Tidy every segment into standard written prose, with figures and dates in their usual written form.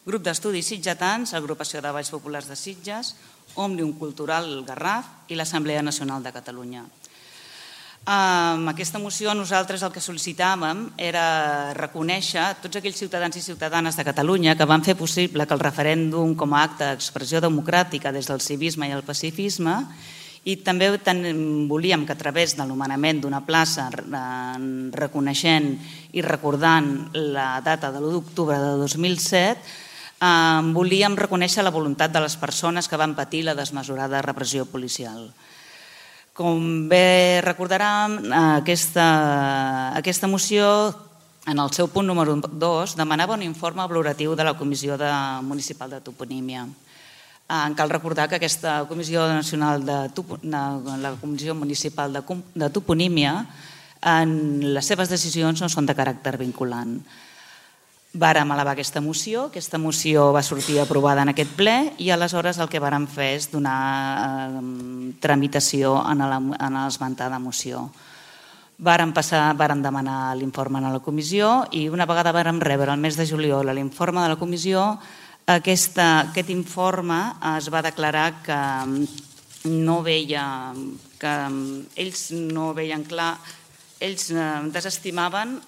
Grup d'Estudis Sitgetans, Agrupació de Balls Populars de Sitges, Òmnium Cultural Garraf i l'Assemblea Nacional de Catalunya. Amb aquesta moció nosaltres el que sol·licitàvem era reconèixer tots aquells ciutadans i ciutadanes de Catalunya que van fer possible que el referèndum com a acte d'expressió democràtica des del civisme i el pacifisme, i també volíem que a través de l'anomenament d'una plaça reconeixent i recordant la data de l'1 d'octubre de 2007 volíem reconèixer la voluntat de les persones que van patir la desmesurada repressió policial. Com bé recordaran, aquesta moció, en el seu punt número 2, demanava un informe valoratiu de la Comissió Municipal de Toponímia. Cal recordar que aquesta Comissió Municipal de Toponímia, les seves decisions no són de caràcter vinculant. Vàrem elevar aquesta moció va sortir aprovada en aquest ple i aleshores el que vàrem fer és donar tramitació en l'esmentada moció. Vàrem demanar l'informe a la comissió i una vegada vàrem rebre el mes de juliol l'informe de la comissió, aquest informe es va declarar que ells no veien clar, ells desestimaven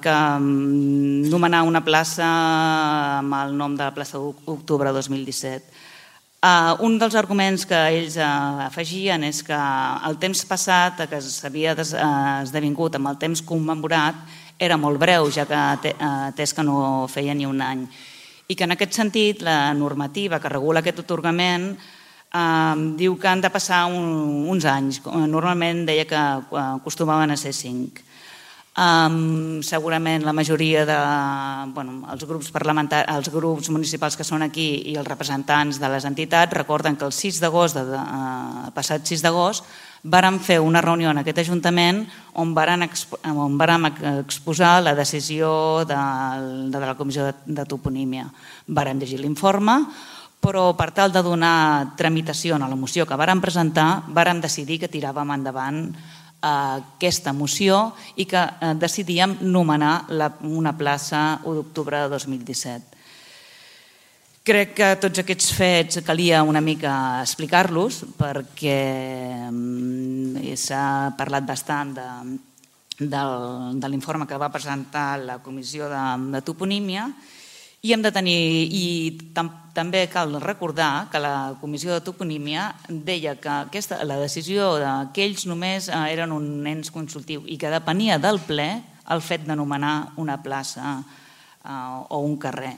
que nomenar una plaça amb el nom de la plaça d'octubre 2017. Un dels arguments que ells afegien és que el temps passat, que s'havia esdevingut amb el temps commemorat, era molt breu, ja que atès que no feia ni un any. I que en aquest sentit la normativa que regula aquest atorgament diu que han de passar uns anys. Normalment deia que acostumaven a ser 5. Segurament la majoria dels grups municipals que són aquí i els representants de les entitats recorden que el passat 6 d'agost vàrem fer una reunió en aquest Ajuntament on vàrem exposar la decisió de la Comissió de Toponímia. Vàrem llegir l'informe, però per tal de donar tramitació a la moció que vàrem presentar, vàrem decidir que tiràvem endavant aquesta moció i que decidíem nomenar una plaça 1 d'octubre de 2017. Crec que tots aquests fets calia una mica explicar-los perquè s'ha parlat bastant de l'informe que va presentar la Comissió de Toponímia i també cal recordar que la Comissió de Toponímia deia que la decisió que ells només eren un ens consultiu i que depenia del ple el fet d'anomenar una plaça o un carrer.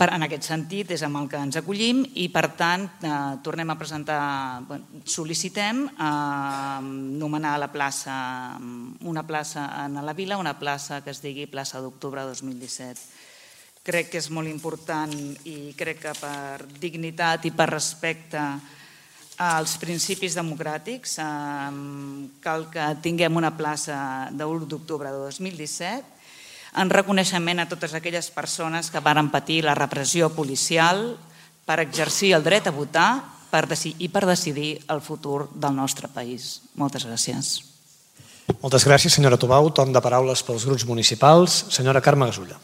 En aquest sentit és amb el que ens acollim i per tant tornem a presentar, sol·licitem nomenar una plaça a la vila, una plaça que es digui plaça d'octubre 2017. Crec que és molt important i crec que per dignitat i per respecte als principis democràtics cal que tinguem una plaça de 1 d'octubre de 2017 en reconeixement a totes aquelles persones que varen patir la repressió policial per exercir el dret a votar i per decidir el futur del nostre país. Moltes gràcies. Moltes gràcies, senyora Tubau. Torn de paraules pels grups municipals. Senyora Carme Gasulla.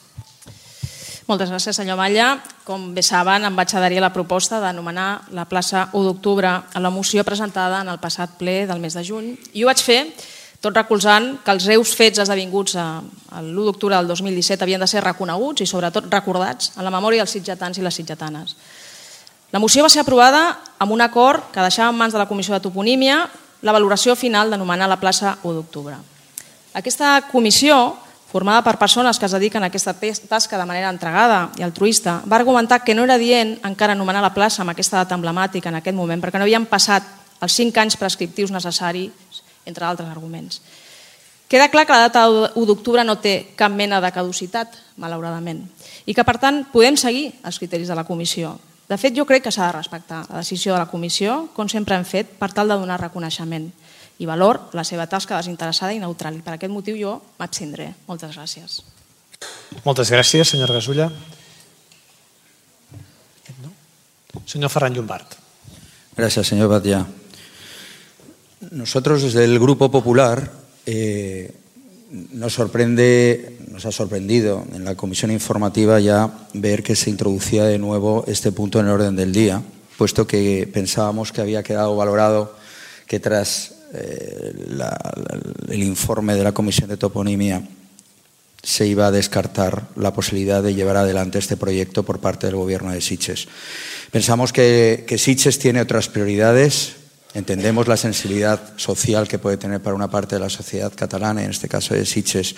Moltes gràcies, senyor Batlle. Com bé saben, em vaig adherir a la proposta d'anomenar la plaça 1 d'octubre a la moció presentada en el passat ple del mes de juny i ho vaig fer tot recolzant que els greus fets esdevinguts l'1 d'octubre del 2017 havien de ser reconeguts i sobretot recordats en la memòria dels sitgetans i les sitgetanes. La moció va ser aprovada amb un acord que deixava en mans de la Comissió de Toponímia la valoració final d'anomenar la plaça 1 d'octubre. Aquesta comissió, formada per persones que es dediquen a aquesta tasca de manera entregada i altruista, va argumentar que no era adient encara anomenar la plaça amb aquesta data emblemàtica en aquest moment perquè no havien passat els 5 anys prescriptius necessaris, entre altres arguments. Queda clar que la data 1 d'octubre no té cap mena de caducitat, malauradament, i que, per tant, podem seguir els criteris de la comissió. De fet, jo crec que s'ha de respectar la decisió de la comissió, com sempre hem fet, per tal de donar reconeixement i valor a la seva tasca desinteressada i neutral. I per aquest motiu jo m'abstindré. Moltes gràcies. Moltes gràcies, senyora Gasulla. Señor Ferran Llombart. Gracias, señor Batlle. Nosotros desde el Grupo Popular Nos ha sorprendido en la comisión informativa ya ver que se introducía de nuevo este punto en el orden del día, puesto que pensábamos que había quedado valorado que tras el informe de la Comisión de Toponimia se iba a descartar la posibilidad de llevar adelante este proyecto por parte del Gobierno de Sitges. Pensamos que Sitges tiene otras prioridades. Entendemos la sensibilidad social que puede tener para una parte de la sociedad catalana, en este caso de Sitges,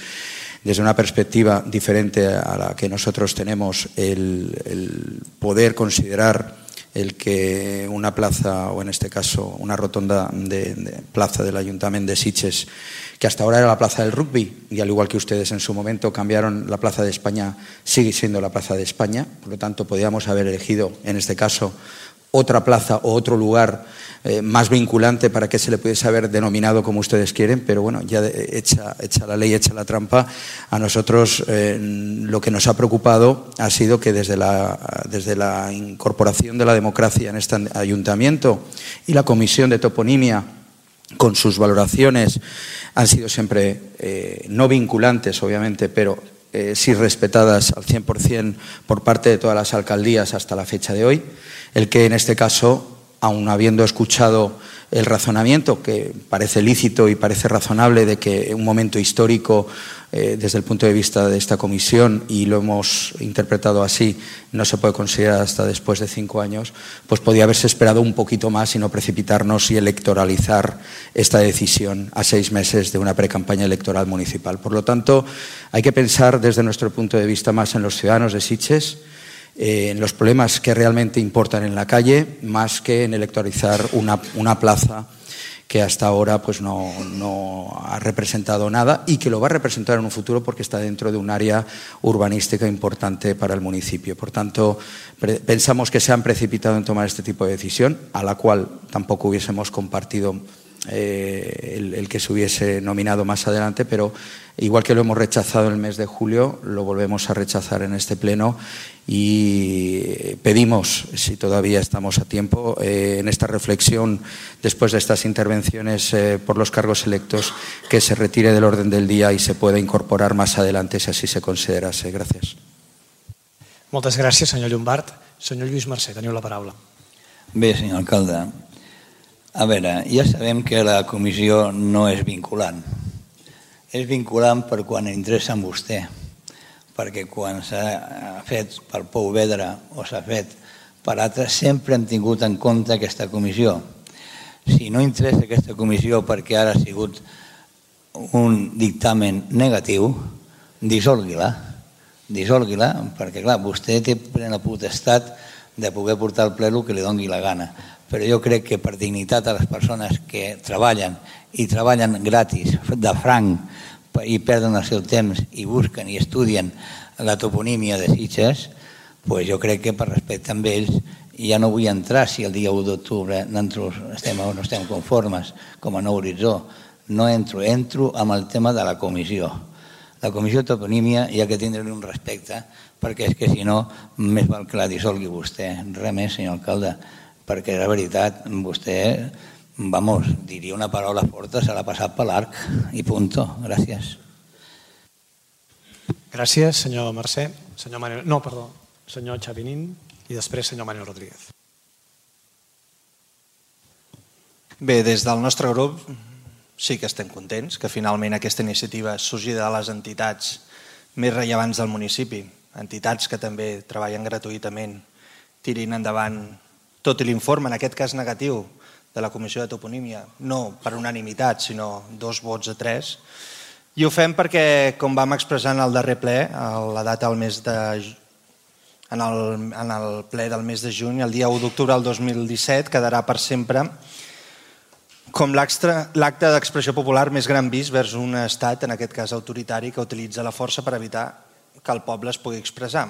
desde una perspectiva diferente a la que nosotros tenemos, el poder considerar el que una plaza, o en este caso una rotonda de plaza del Ayuntamiento de Sitges, que hasta ahora era la plaza del rugby, y al igual que ustedes en su momento cambiaron la plaza de España, sigue siendo la plaza de España, por lo tanto podíamos haber elegido en este caso otra plaza o otro lugar más vinculante para que se le pudiese haber denominado como ustedes quieren, pero bueno, ya hecha la ley, hecha la trampa, a nosotros lo que nos ha preocupado ha sido que desde la incorporación de la democracia en este ayuntamiento y la comisión de toponimia, con sus valoraciones, han sido siempre no vinculantes, obviamente, pero sí respetadas al 100% por parte de todas las alcaldías hasta la fecha de hoy. El que en este caso, aun habiendo escuchado el razonamiento, que parece lícito y parece razonable, de que un momento histórico desde el punto de vista de esta comisión, y lo hemos interpretado así, no se puede considerar hasta después de 5 años, pues podía haberse esperado un poquito más y no precipitarnos y electoralizar esta decisión a 6 meses de una precampaña electoral municipal. Por lo tanto, hay que pensar desde nuestro punto de vista más en los ciudadanos de Sitges, en los problemas que realmente importan en la calle, más que en electoralizar una plaza que hasta ahora pues no ha representado nada y que lo va a representar en un futuro porque está dentro de un área urbanística importante para el municipio. Por tanto, pensamos que se han precipitado en tomar este tipo de decisión, a la cual tampoco hubiésemos compartido el que se hubiese nominado más adelante, pero igual que lo hemos rechazado en el mes de julio, lo volvemos a rechazar en este pleno y pedimos, si todavía estamos a tiempo, en esta reflexión, después de estas intervenciones por los cargos electos, que se retire del orden del día y se pueda incorporar más adelante si así se considerase. Gràcies. Moltes gràcies, senyor Llombart. Senyor Lluís Mercè, teniu la paraula. Bé, senyor alcalde, a veure, ja sabem que la comissió no és vinculant. És vinculant per quan interessa en vostè, perquè quan s'ha fet per Pou Vedra o s'ha fet per altres, sempre hem tingut en compte aquesta comissió. Si no interessa aquesta comissió perquè ara ha sigut un dictamen negatiu, dissolgui-la, perquè clar, vostè té plena potestat de poder portar al ple el que li doni la gana. Però jo crec que per dignitat a les persones que treballen i treballen gratis, de franc, i perden el seu temps i busquen i estudien la toponímia de Sitges, jo crec que per respecte amb ells ja no vull entrar si el dia 1 d'octubre estem o no estem conformes com a nou horitzó. No entro amb el tema de la comissió. La comissió de toponímia hi ha que tindre-li un respecte, perquè és que si no, més val que la dissolgui vostè. Res més, senyor alcalde, perquè la veritat, vostè, diria una paraula forta, se l'ha passat per l'arc i punto. Gràcies. Gràcies, senyor Mercè. Senyor Xavinín i després senyor Manuel Rodríguez. Bé, des del nostre grup sí que estem contents que finalment aquesta iniciativa surgi de les entitats més rellevants del municipi, entitats que també treballen gratuïtament, tirin endavant tot l'informe, en aquest cas negatiu, de la Comissió de Toponímia, no per unanimitat, sinó 2 vots a 3. I ho fem perquè, com vam expressar en el darrer ple, la data en el ple del mes de juny, el dia 1 d'octubre del 2017, quedarà per sempre com l'acte d'expressió popular més gran vist vers un estat, en aquest cas autoritari, que utilitza la força per evitar que el poble es pugui expressar.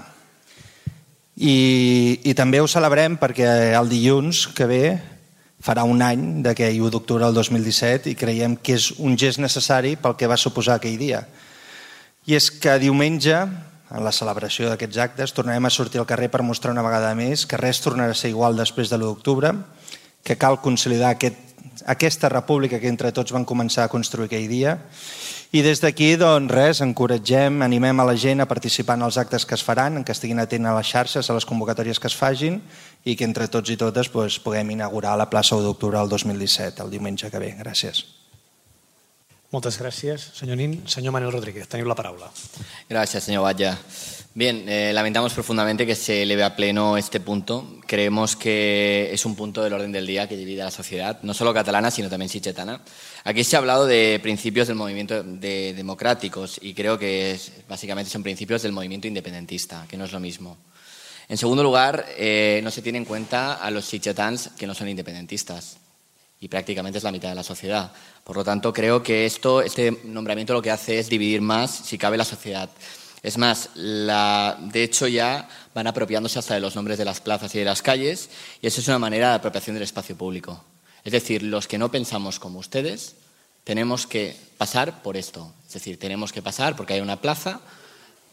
I també ho celebrem perquè el dilluns que ve farà un any d'aquell 1 d'octubre del 2017 i creiem que és un gest necessari pel que va suposar aquell dia. I és que diumenge, en la celebració d'aquests actes, tornarem a sortir al carrer per mostrar una vegada més que res tornarà a ser igual després de l'1 d'octubre, que cal consolidar aquesta república que entre tots van començar a construir aquell dia. I des d'aquí, doncs res, encoratgem, animem a la gent a participar en els actes que es faran, que estiguin atents a les xarxes, a les convocatòries que es fagin i que entre tots i totes puguem inaugurar la plaça 1 d'octubre del 2017, el diumenge que ve. Gràcies. Moltes gràcies, senyor Nin. Senyor Manuel Rodríguez, teniu la paraula. Gracias, señor Batlle. Bien, lamentamos profundamente que se eleve a pleno este punto. Creemos que es un punto del orden del día que divide a la sociedad, no solo catalana, sino también sichetana. Aquí se ha hablado de principios del movimiento democráticos y creo que básicamente son principios del movimiento independentista, que no es lo mismo. En segundo lugar, no se tiene en cuenta a los sichetans que no son independentistas y prácticamente es la mitad de la sociedad. Por lo tanto, creo que este nombramiento lo que hace es dividir más, si cabe, la sociedad. Es más, de hecho ya van apropiándose hasta de los nombres de las plazas y de las calles y eso es una manera de apropiación del espacio público. Es decir, los que no pensamos como ustedes tenemos que pasar por esto. Es decir, tenemos que pasar porque hay una plaza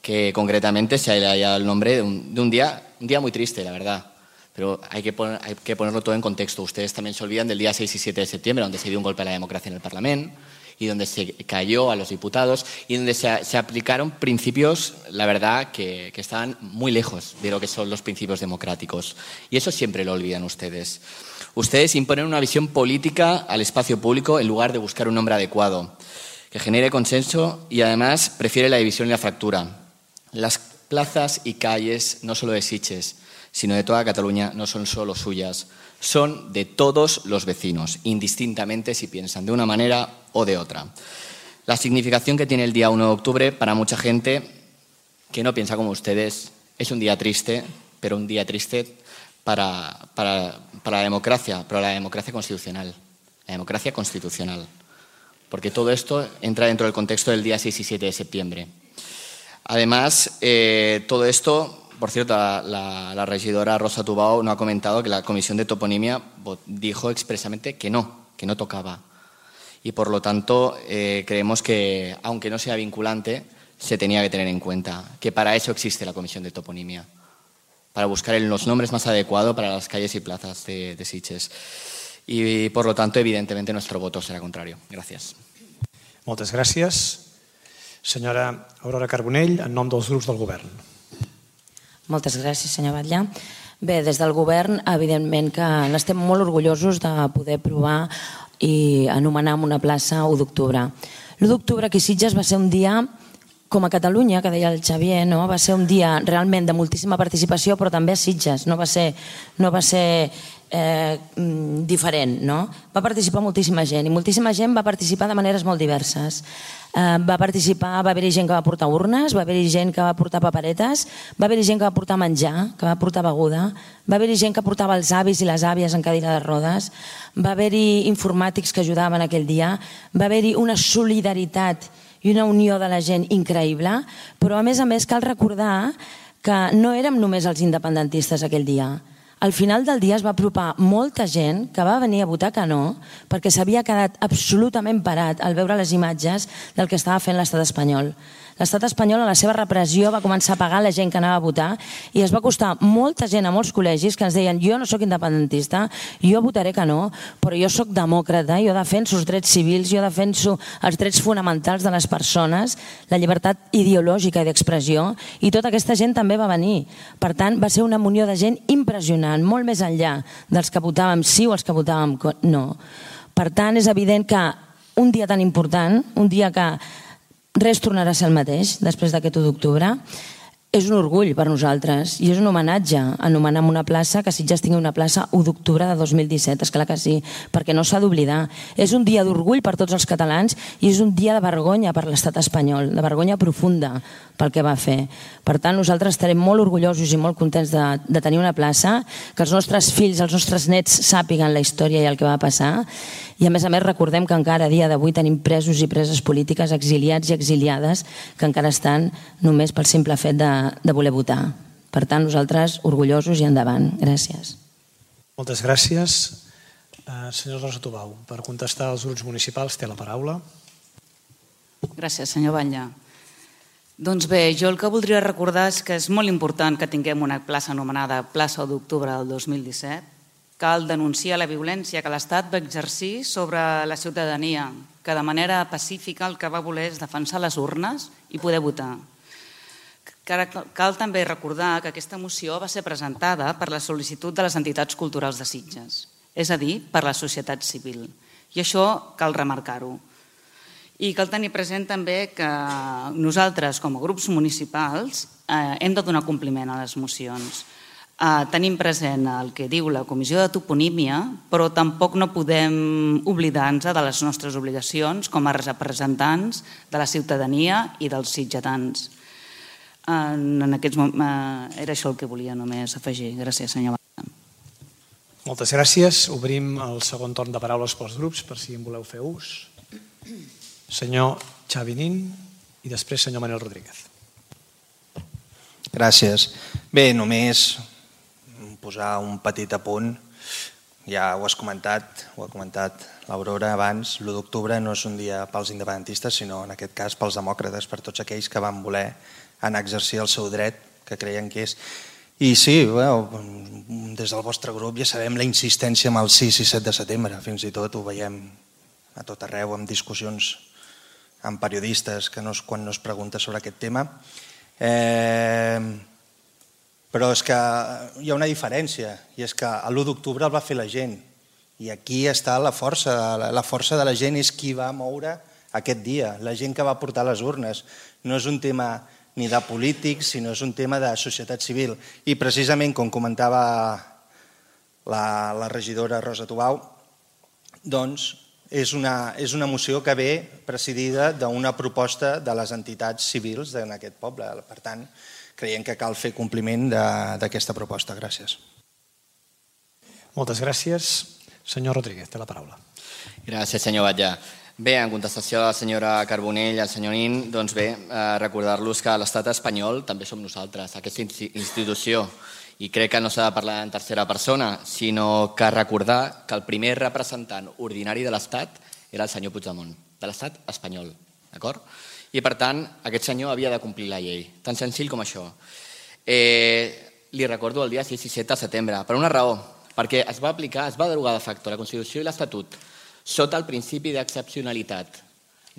que concretamente se le haya el nombre de un día muy triste, la verdad. Pero hay que ponerlo todo en contexto. Ustedes también se olvidan del día 6 y 7 de septiembre, donde se dio un golpe a la democracia en el Parlamento y donde se cayó a los diputados y donde se aplicaron principios, la verdad, que estaban muy lejos de lo que son los principios democráticos. Y eso siempre lo olvidan ustedes. Ustedes imponen una visión política al espacio público en lugar de buscar un nombre adecuado, que genere consenso y además prefiere la división y la fractura. Las plazas y calles, no solo de Sitges, sino de toda Cataluña, no son solo suyas, son de todos los vecinos, indistintamente si piensan de una manera o de otra. La significación que tiene el día 1 de octubre para mucha gente que no piensa como ustedes es un día triste, pero un día triste para la democracia, pero la democracia constitucional, porque todo esto entra dentro del contexto del día 6 y 7 de septiembre. Además, todo esto... Por cierto, la regidora Rosa Tubao no ha comentado que la Comisión de Toponimia dijo expresamente que no tocaba. Y por lo tanto, creemos que, aunque no sea vinculante, se tenía que tener en cuenta que para eso existe la Comisión de Toponimia, para buscar los nombres más adecuados para las calles y plazas de Sitges. Y por lo tanto, evidentemente, nuestro voto será contrario. Gracias. Moltes gràcies. Senyora Aurora Carbonell, en nom dels grups del govern. Moltes gràcies, senyor Batlle. Bé, des del govern, evidentment que n'estem molt orgullosos de poder aprovar i anomenar una plaça 1 d'octubre. L'1 d'octubre aquí a Sitges va ser un dia, com a Catalunya, que deia el Xavier, no? Va ser un dia realment de moltíssima participació, però també a Sitges. No va ser diferent, no? Va participar moltíssima gent i moltíssima gent va participar de maneres molt diverses. Va haver-hi gent que va portar urnes, va haver-hi gent que va portar paperetes, va haver-hi gent que va portar menjar, que va portar beguda, va haver-hi gent que portava els avis i les àvies en cadira de rodes, va haver-hi informàtics que ajudaven aquell dia, va haver-hi una solidaritat i una unió de la gent increïble, però a més cal recordar que no érem només els independentistes aquell dia. Al final del dia es va apropar molta gent que va venir a votar que no perquè s'havia quedat absolutament parat al veure les imatges del que estava fent l'estat espanyol. L'estat espanyol, a la seva repressió, va començar a pagar la gent que anava a votar i es va costar molta gent a molts col·legis que ens deien jo no sóc independentista, jo votaré que no, però jo sóc demòcrata, jo defenso els drets civils, jo defenso els drets fonamentals de les persones, la llibertat ideològica i d'expressió, i tota aquesta gent també va venir. Per tant, va ser una munió de gent impressionant, molt més enllà dels que votàvem sí o els que votàvem no. Per tant, és evident que un dia tan important, un dia que res tornarà a ser el mateix després d'aquest 1 d'octubre, és un orgull per nosaltres i és un homenatge anomenar una plaça, que Sitges tingui una plaça 1 d'octubre de 2017, esclar que sí, perquè no s'ha d'oblidar. És un dia d'orgull per tots els catalans i és un dia de vergonya per l'estat espanyol, de vergonya profunda pel que va fer. Per tant, nosaltres estarem molt orgullosos i molt contents de tenir una plaça, que els nostres fills, els nostres nets sàpiguen la història i el que va passar, i a més recordem que encara a dia d'avui tenim presos i preses polítiques, exiliats i exiliades, que encara estan només pel simple fet de voler votar. Per tant, nosaltres orgullosos i endavant. Gràcies. Moltes gràcies. Senyor Rosa Tubau, per contestar als grups municipals té la paraula. Gràcies, senyor Batlle. Doncs bé, jo el que voldria recordar és que és molt important que tinguem una plaça anomenada plaça 1 d'octubre del 2017, Cal denunciar la violència que l'Estat va exercir sobre la ciutadania, que de manera pacífica el que va voler és defensar les urnes i poder votar. Cal també recordar que aquesta moció va ser presentada per la sol·licitud de les entitats culturals de Sitges, és a dir, per la societat civil. I això cal remarcar-ho. I cal tenir present també que nosaltres, com a grups municipals, hem de donar compliment a les mocions. Tenim present el que diu la Comissió de Toponímia, però tampoc no podem oblidar-nos de les nostres obligacions com a representants de la ciutadania i dels sitgetans. Era això el que volia només afegir. Gràcies, senyor Batlle. Moltes gràcies. Obrim el segon torn de paraules pels grups, per si en voleu fer ús. Senyor Xavi Nin i després senyor Manel Rodríguez. Gràcies. Bé, només posar un petit apunt. Ja ho ha comentat l'Aurora abans. L'1 d'octubre no és un dia pels independentistes, sinó en aquest cas pels demòcrates, per tots aquells que van voler anar a exercir el seu dret, que creien que és. I sí, des del vostre grup ja sabem la insistència amb el 6 i 7 de setembre. Fins i tot ho veiem a tot arreu, amb discussions amb periodistes quan no es pregunta sobre aquest tema. Però és que hi ha una diferència, i és que l'1 d'octubre el va fer la gent. I aquí està la força. La força de la gent és qui va moure aquest dia, la gent que va portar les urnes. No és un tema ni de polítics, sinó és un tema de societat civil. I precisament, com comentava la regidora Rosa Tubau, doncs és una moció que ve presidida d'una proposta de les entitats civils en aquest poble. Per tant, creiem que cal fer compliment d'aquesta proposta. Gràcies. Moltes gràcies. Senyor Rodríguez, té la paraula. Gràcies, senyor Batlle. Bé, en contestació a la senyora Carbonell i al senyor Nin, doncs bé, recordar-los que l'estat espanyol també som nosaltres, aquesta institució, i crec que no s'ha de parlar en tercera persona, sinó que recordar que el primer representant ordinari de l'estat era el senyor Puigdemont, de l'estat espanyol, d'acord? I per tant, aquest senyor havia de complir la llei, tan senzill com això. Li recordo el dia 6 i 7 de setembre, per una raó, perquè es va derogar de facto la Constitució i l'Estatut sota el principi d'excepcionalitat.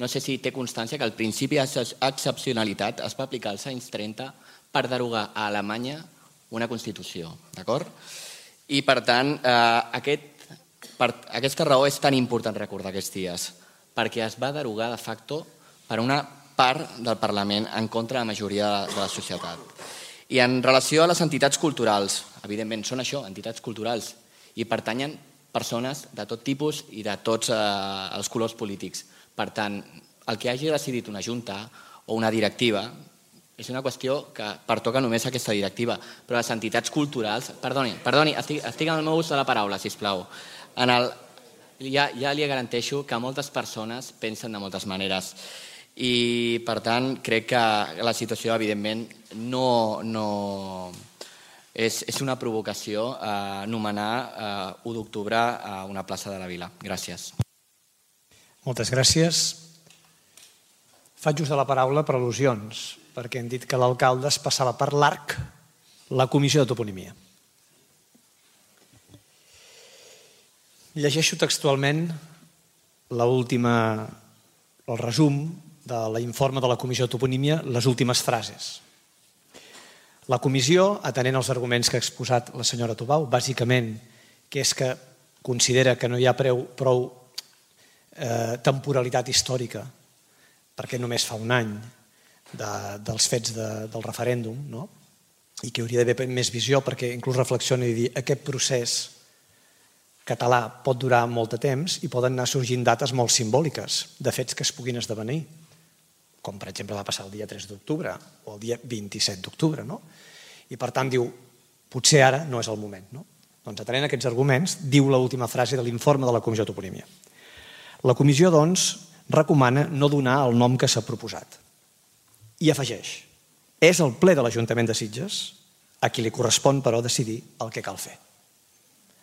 No sé si té constància que el principi d'excepcionalitat es va aplicar als anys 30 per derogar a Alemanya una Constitució, d'acord? I per tant, aquesta raó és tan important recordar aquests dies, perquè es va derogar de facto per una part del Parlament en contra de la majoria de la societat. I en relació a les entitats culturals, evidentment són això, entitats culturals, i pertanyen persones de tot tipus i de tots els colors polítics. Per tant, el que hagi decidit una junta o una directiva és una qüestió que pertoca només a aquesta directiva, però les entitats culturals... Perdoni, estic en el meu ús de la paraula, sisplau. Ja li garanteixo que moltes persones pensen de moltes maneres i, per tant, crec que la situació, evidentment, no... És una provocació anomenar 1 d'octubre a una plaça de la Vila. Gràcies. Moltes gràcies. Faig ús de la paraula per al·lusions, perquè hem dit que l'alcalde es passava per l'arc la comissió de toponímia. Llegeixo textualment el resum de l'informe de la comissió de toponímia, les últimes frases. La comissió, atenent els arguments que ha exposat la senyora Tubau, bàsicament que és que considera que no hi ha prou temporalitat històrica, perquè només fa un any dels fets del referèndum, i que hauria d'haver més visió, perquè inclús reflexiona i dir aquest procés català pot durar molt de temps i poden anar sorgint dates molt simbòliques de fets que es puguin esdevenir, com per exemple va passar el dia 3 d'octubre o el dia 27 d'octubre. I per tant diu, potser ara no és el moment. Doncs atenent aquests arguments, diu l'última frase de l'informe de la comissió de toponímia. La comissió, doncs, recomana no donar el nom que s'ha proposat. I afegeix, és el ple de l'Ajuntament de Sitges a qui li correspon, però, decidir el que cal fer.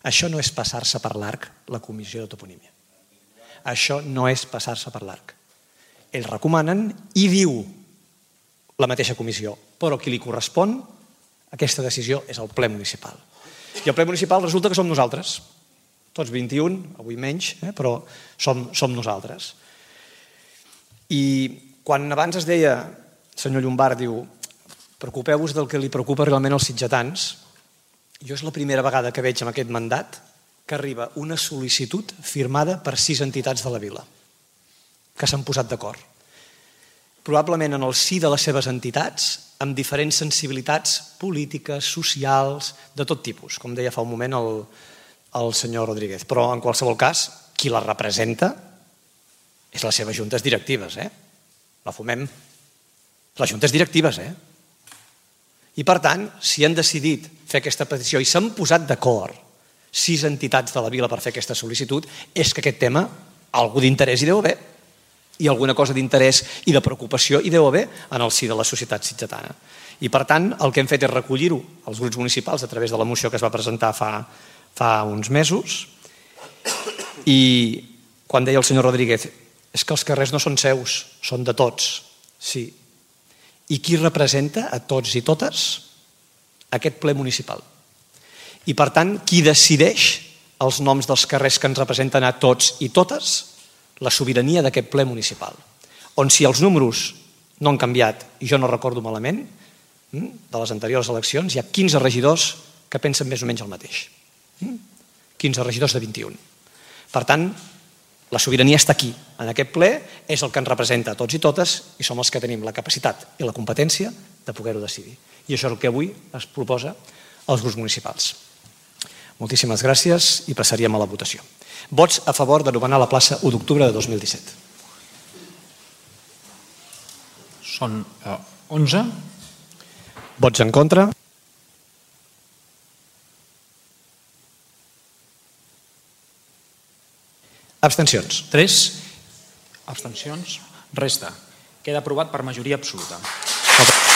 Això no és passar-se per l'arc, la comissió de toponímia. Això no és passar-se per l'arc. Ells recomanen i diu la mateixa comissió, però qui li correspon aquesta decisió és el ple municipal. I el ple municipal resulta que som nosaltres. Tots 21, avui menys, però som nosaltres. I quan abans es deia, el senyor Llombart diu, preocupeu-vos del que li preocupa realment als sitgetans, jo és la primera vegada que veig en aquest mandat que arriba una sol·licitud firmada per 6 entitats de la vila, que s'han posat d'acord. Probablement en el si de les seves entitats, amb diferents sensibilitats polítiques, socials, de tot tipus, com deia fa un moment el senyor Rodríguez. Però en qualsevol cas, qui la representa és les seves juntes directives. La fumem. Les juntes directives. I per tant, si han decidit fer aquesta petició i s'han posat d'acord 6 entitats de la vila per fer aquesta sol·licitud, és que aquest tema, algú d'interès hi deu haver, i alguna cosa d'interès i de preocupació hi deu haver en el si de la societat sitgetana. I per tant, el que hem fet és recollir-ho als grups municipals a través de la moció que es va presentar fa uns mesos. I quan deia el senyor Rodríguez, és que els carrers no són seus, són de tots. Sí. I qui representa a tots i totes? Aquest ple municipal. I per tant, qui decideix els noms dels carrers que ens representen a tots i totes? La sobirania d'aquest ple municipal. On si els números no han canviat, i jo no recordo malament, de les anteriors eleccions, hi ha 15 regidors que pensen més o menys el mateix. 15 regidors de 21. Per tant, la sobirania està aquí, en aquest ple, és el que ens representa a tots i totes i som els que tenim la capacitat i la competència de poder-ho decidir. I això és el que avui es proposa als grups municipals. Moltíssimes gràcies i passaríem a la votació. Vots a favor de nomenar la plaça 1 d'octubre de 2017. Són 11. Vots en contra. Abstencions. 3. Abstencions. Resta. Queda aprovat per majoria absoluta. Moltes gràcies.